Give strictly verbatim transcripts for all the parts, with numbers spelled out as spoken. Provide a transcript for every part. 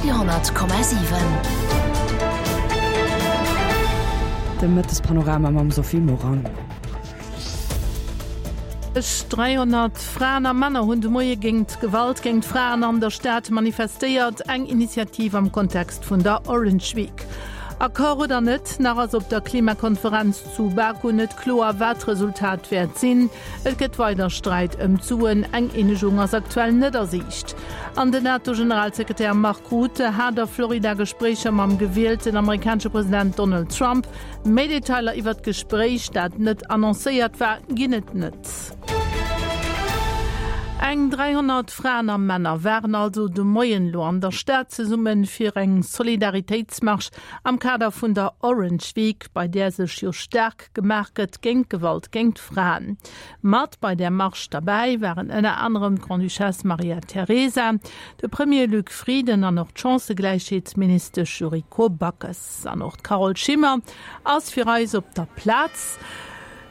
Radio honnert Komma siwen. De Mëttespanorama mam Sophie Morang. dräihonnert Fraen a Männer hunn de Moie géint d'Gewalt géint Fraen an der Stad manifestéiert, eng Initiativ am Kontext vun der Orange Week. Accord oder net, nach ass op der Klimakonferenz zu Baku net kloer, wat d'Resultat wäert sinn. Et gëtt weider Sträit ëm d'Suen, eng Eenegung ass aktuell net a Siicht. An den NATO-Generalsekretär Mark Rutte hat a Florida Gespréicher mam gewielten amerikanesche President Donald Trump. Méi Detailer iwwer d'Gespréich, dat net annoncéiert war, ginn et net. Eng dräihonnert Fraen a Männer waren also de Moien lo an der Stad zesumme fir eng Solidaritéitsmarsch am Kader vun der Orange Week, bei där sech jo staark gemaach gëtt géint Gewalt géint Fraen. Mat bei där Marsch derbäi waren ënner anerem d'Grande-Duchesse Maria Teresa, de Premier Luc Frieden an och d'Chancëgläichheetsministesch Yuriko Backes. An och d'Carole Schimmer ass fir eis op der Plaz.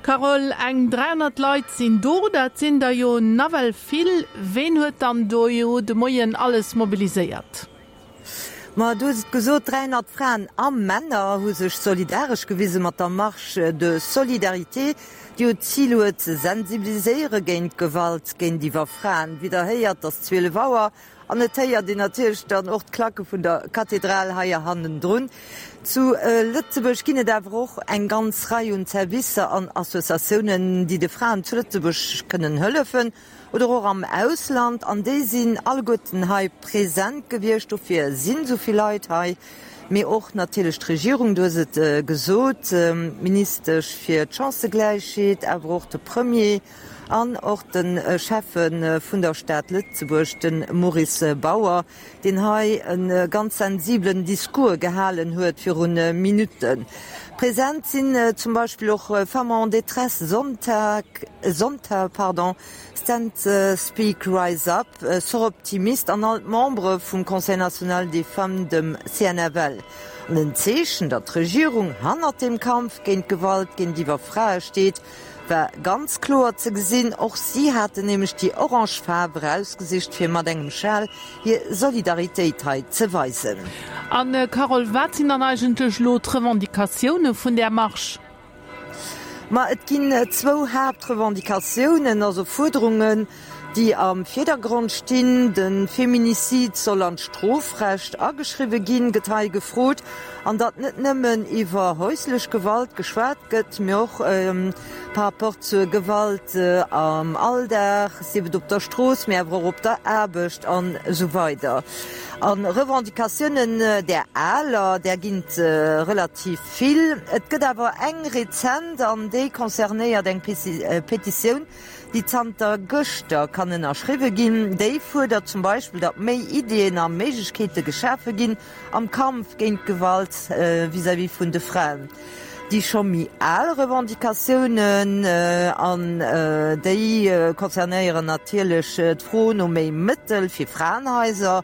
Carole, eng dräihonnert Leit sinn do, dat sinn der jo nawell vill. Ween huet dann do jo de Moien alles mobiliséiert? Ma du hues et gesot, dräihonnert Fraen a Männer hu sech solidaresch gewise mat der Marche de solidarité, déi jo d'Zil huet ze sensibiliséiere géint d'Gewalt géintiwwer Fraen. Wéi der héiert, ass zwielef Auer An et héiert een natierlech dann och d'Klacke vun der Kathedral hei hannendrun. Zu Lëtzebuerg ginn et awer och eng ganz Rei un Servicer an Associatiounen, déi de Fraen zu Lëtzebuerg kënnen hëllefen oder och am Ausland. An déi sinn alleguerten hei present gewiescht. Dofir sinn esou vill Leit hei. Mee och natierlech d'Regierung, du hues et gesot, d'Ministesch fir d'Chancëgläichheet, awer och de Premier an och de Schäffe vun der Stad Lëtzebuerg, de Maurice Bauer, deen hei e ganz sensibelen Discours gehalen huet viru Minutten. Present sinn zum Beispill och Femmes en détresse, Sonntag, Sonntag, pardon, Stand Speak Rise Up, Soroptimist an all d'Membere vum Conseil national des femmes, dem C N F L. An en Zeechen, datt d'Regierung hannert dem Kampf géint d'Gewalt géintiwwer Frae steet, war ganz kloer ze gesinn. Och si haten nämlech déi orange Faarf erausgesicht, fir mat engem Schal hir Solidaritéit hei ze weisen. An Carole, wat sinn dann eigentlech elo d'Revendicatioune vun där Marsch? Ma et ginn zwou Haaptrevendicatiounen, also Fuerderungen, déi am Virdergrond stinn. De Feminicide soll an d'Strofrecht ageschriwwe ginn, gëtt hei gefrot. An datt net nëmmen iwwer häuslech Gewalt geschwat gëtt, mee och par rapport zur Gewalt am Alldag, sief et op der Strooss, mee awer och op der Aarbecht an esou weider. A Revendicatiounen, där aler, där ginn et relativ vill. Et gëtt awer eng rezent an déi concernéiert eng Petitioun, déi zanter gëschter kann ënnerschriwwe ginn. Déi fuerdert zum Beispill, datt méi Iddien a Méiglechkeete geschafe ginn am Kampf géint d'Gewalt vis-à-vis vun de Fraen. Déi scho méi al Revendicatiounen, an déi concernéieren natierlech d'Fro no méi Mëttel fir Fraenhaiser,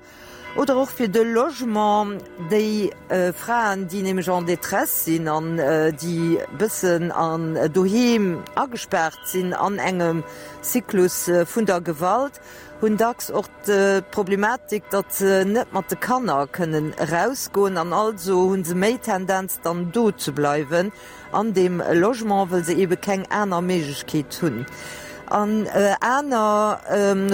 Oder och fir de Logement, déi Fraen, déi nämlech en détresse sinn an déi bëssen an doheem agespaart sinn an engem Zyklus vun der Gewalt, hunn dacks och d'Problematik, datt se net mat de Kanner kënnen erausgoen an also hu se méi Tendenz dann do ze bleiwen an deem Logement, wëll se eebe keng aner Méiglechkeet hunn. An aner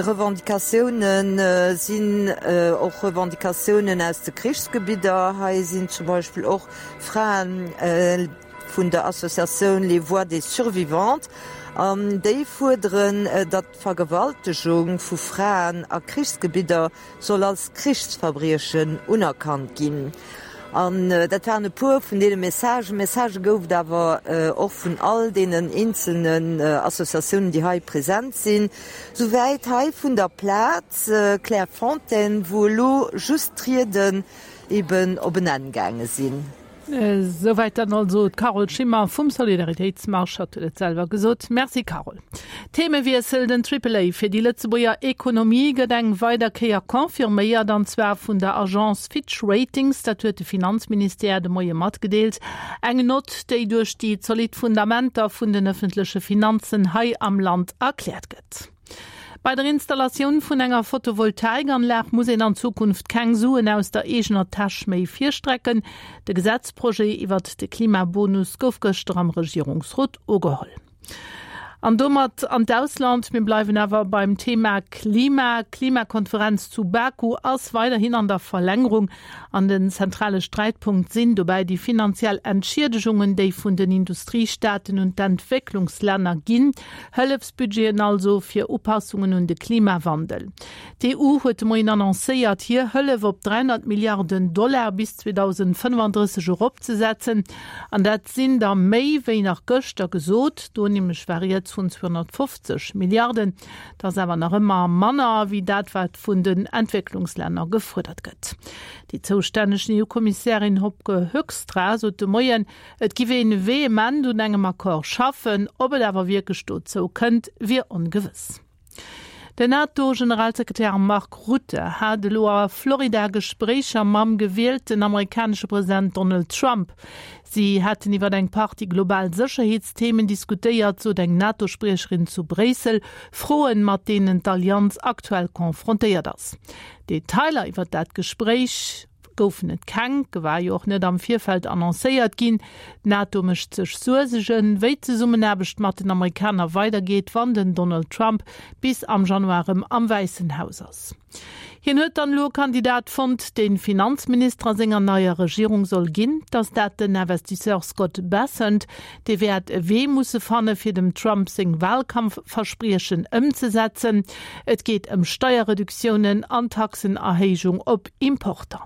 Revendicatioune sinn och Revendicatiounen aus de Krichsgebidder. Hei sinn zum Beispill och Frae vun der Associatioun Les Voix des Survivantes an déi fuerderen, datt d'Vergewaltegung vu Fraen a Krichsgebidder soll als Krichsverbriechen unerkannt ginn. An dat waren e puer vun deene Messagen. Messagë gouf et awer och vun all deenen eenzelnen Associatiounen, déi hei present sinn. Souwäit hei vun der Plaz Clairefontaine, wou elo just d'Rieden eben op en Enn gaange sinn. Souwäit dann also d'Carole Schimmer vum Solidaritéitsmarsch, hatt huet et selwer gesot. Merci Carole. Themewiessel, Den Triple A fir déi Lëtzebuerger Ekonomie gëtt eng weider Kéier confirméiert, an zwar vun der Agence Fitch Ratings. Dat huet de Finanzministère de Moie matgedeelt. Eng Nott, déi duerch déi zolidd Fundamenter vun den ëffentleche Finanzen hei am Land erkläert gëtt. Bei der Installatioun vun enger Photovoltaikanlag muss een an Zukunft keng Suen aus der eegener Täsch méi virstrecken. De Gesetzprojet iwwert de Klimabonus gouf gëschter am Regierungsrot ugeholl. An domat an d'Ausland, mir bleiwen awer beim Thema Klima. D'Klimakonferenz zu Baku ass weiderhin an der Verlängerung. An den zentrale Sträitpunkt sinn dobäi déi finanziell Entschiedegungen, déi vun den Industriestaaten un d'Entwécklungslänner ginn. Hëllefsbudgeten also fir Upassungen un de Klimawandel. D'EU huet de Moien annoncéiert, hir Hëllef op dräihonnert Milliarden Dollar bis zweedausendfënnefandrësseg eropzesetzen. An dat sinn der méi wéi nach gëschter gesot, do nämlech war rieds vun zweehonnertfofzeg Milliarden. Dat ass awer nach ëmmer manner wéi dat, wat vun den Entwécklungslänner gefuerdert gëtt. Déi zoustänneg EU-Kommissärin Wopke Hoekstra sot de Moien, et giff een vehement un engem Accord schaffen, ob et awer wierklech dozou kënnt, wier ongewëss. Den NATO-Generalsekretär Mark Rutte hat elo a Florida Gespréicher mam gewielten amerikanesche President Donald Trump. Si hätten iwwer eng Partie global Sécherheetsthemen diskutéiert, sot eng NATO-Spriecherin zu Bréissel, Froen, mat deenen d'Allianz aktuell confrontéiert ass. Detailer iwwer dat Gespréich goufen et keng, war jo och net am Virfeld annoncéiert ginn. D'NATO mécht sech Suergen, wéi d'Zesummenaarbecht mat den Amerikaner weidergeet, wann den Donald Trump bis am Januar erëm am Wäissen Haus ass. Hien huet dann elo e Kandidat fonnt, dee Finanzminister a senger neier Regierung soll ginn. Et ass dat den Investisseur Scott Bessent, dee wäert e Wee musse fanne fir dem Trump seng Wahlkampfverspriechen ëmzesetzen. Et geet ëm Steierreduktiounen an Taxenerhéijung op Importer.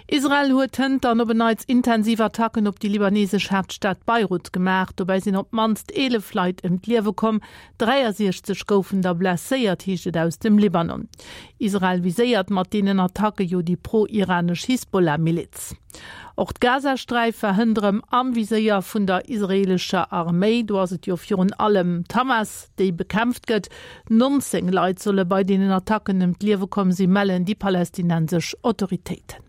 Israel huet hënt dann op en Neits intensiv Attacken op déi libanesesch Haaptstad Beirut gemaach. Dobäi sinn op d'mannst eelef Leit ëm d'Liewe komm, dräiasiechzeg goufen der blesséiert, heescht et aus dem Libanon. Israel viséiert mat deenen Attacke jo déi pro-iranesch Hisbollah-Miliz. Och d'Gazasträif war hënt erëm am Viséier vun der israeelescher Arméi. Do ass et jo virun allem d'Hamas, déi bekämpft gëtt. nonzéng Leit solle bei deenen Attacken ëm d'Liewe komm sinn, mellen déi palästinensesch Autoritéiten.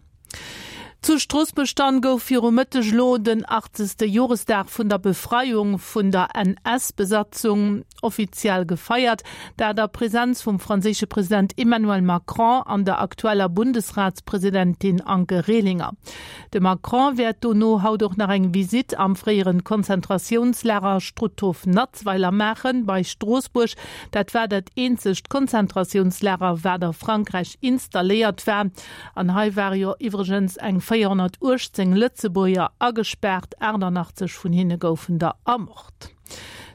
Zu Stroossbuerg dann gouf viru Mëtteg elo den achtzegste Joresdag vun der Befreiung vun der N S-Besatzung offiziell gefeiert, dat a Presenz vum franséische President Emmanuel Macron an der aktueller Bundesratspresidentin Anke Rehlinger. De Macron wäert dono haut och nach eng Visitt am fréieren Konzentratiounslager Struthof Natzweiler maachen, bei Stroossbuerg. Dat war dat eenzegt Konzentratiounslager, wat a Frankräich installéiert war. An hei ware jo iwwregens eng véierhonnertuechtzéng Lëtzebuerger agespaart, achtannachtzeg vun hinne goufen der ermort.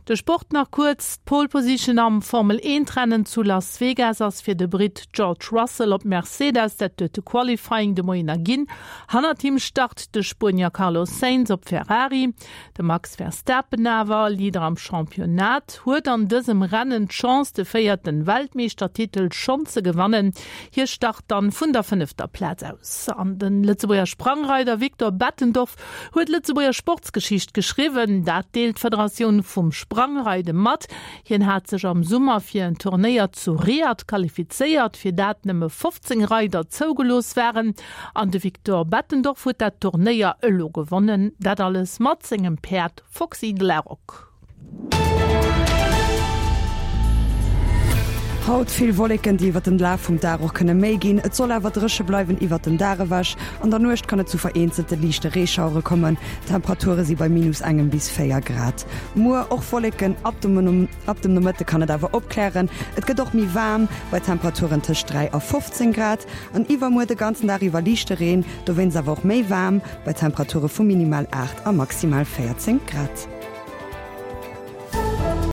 De Sport nach kuerz, D'Pole Position am Formel eent Rennen zu Las Vegas ass fir de Britt George Russell op Mercedes, dat huet de Qualifying de Moien erginn. Hannert him start de Spuenier Carlos Sainz op Ferrari. De Max Verstappen awer, Leader am Championnat, huet an dësem Rennen d'Chance de véierte Weltmeeschtertitel schonn ze gewannen. Hie start dann vun der fënnefter Plaz aus. An de Lëtzebuerger Sprangreider Victor Bettendorf huet Lëtzebuerger Sportsgeschicht geschriwwen, dat deelt d'Federatioun vum Sprangreide mat. Hien hat sech am Summer fir en Turnéier zu Riad qualifizéiert, fir dat nëmme fofzéng Reider zougelooss waren. An de Victor Bettendorf huet dat Turnéier elo gewonnen, dat alles mat sengem Päerd Foxy Glerock. Haut vill Wolleken, déi iwwert den Laf vum Dag och kënne méi ginn. Et soll awer dréche bleiwen iwwert den Dag ewech. An der Nuecht kann et zu vereenzelte liichte Reeschauere kommen. D'Temperature si bei minus engem bis véier Grad. Muer och Wolleken, ab dem ab dem Nomëtte kann et awer opklären. Et gëtt och méi waarm, bei Temperaturen tëscht dräi a fofzéng Grad. An iwwermuer de ganzen Dag iwwer liichte Reen, dowéinst awer och méi waarm, bei Temperature vu minimal aacht a maximal véierzéng Grad.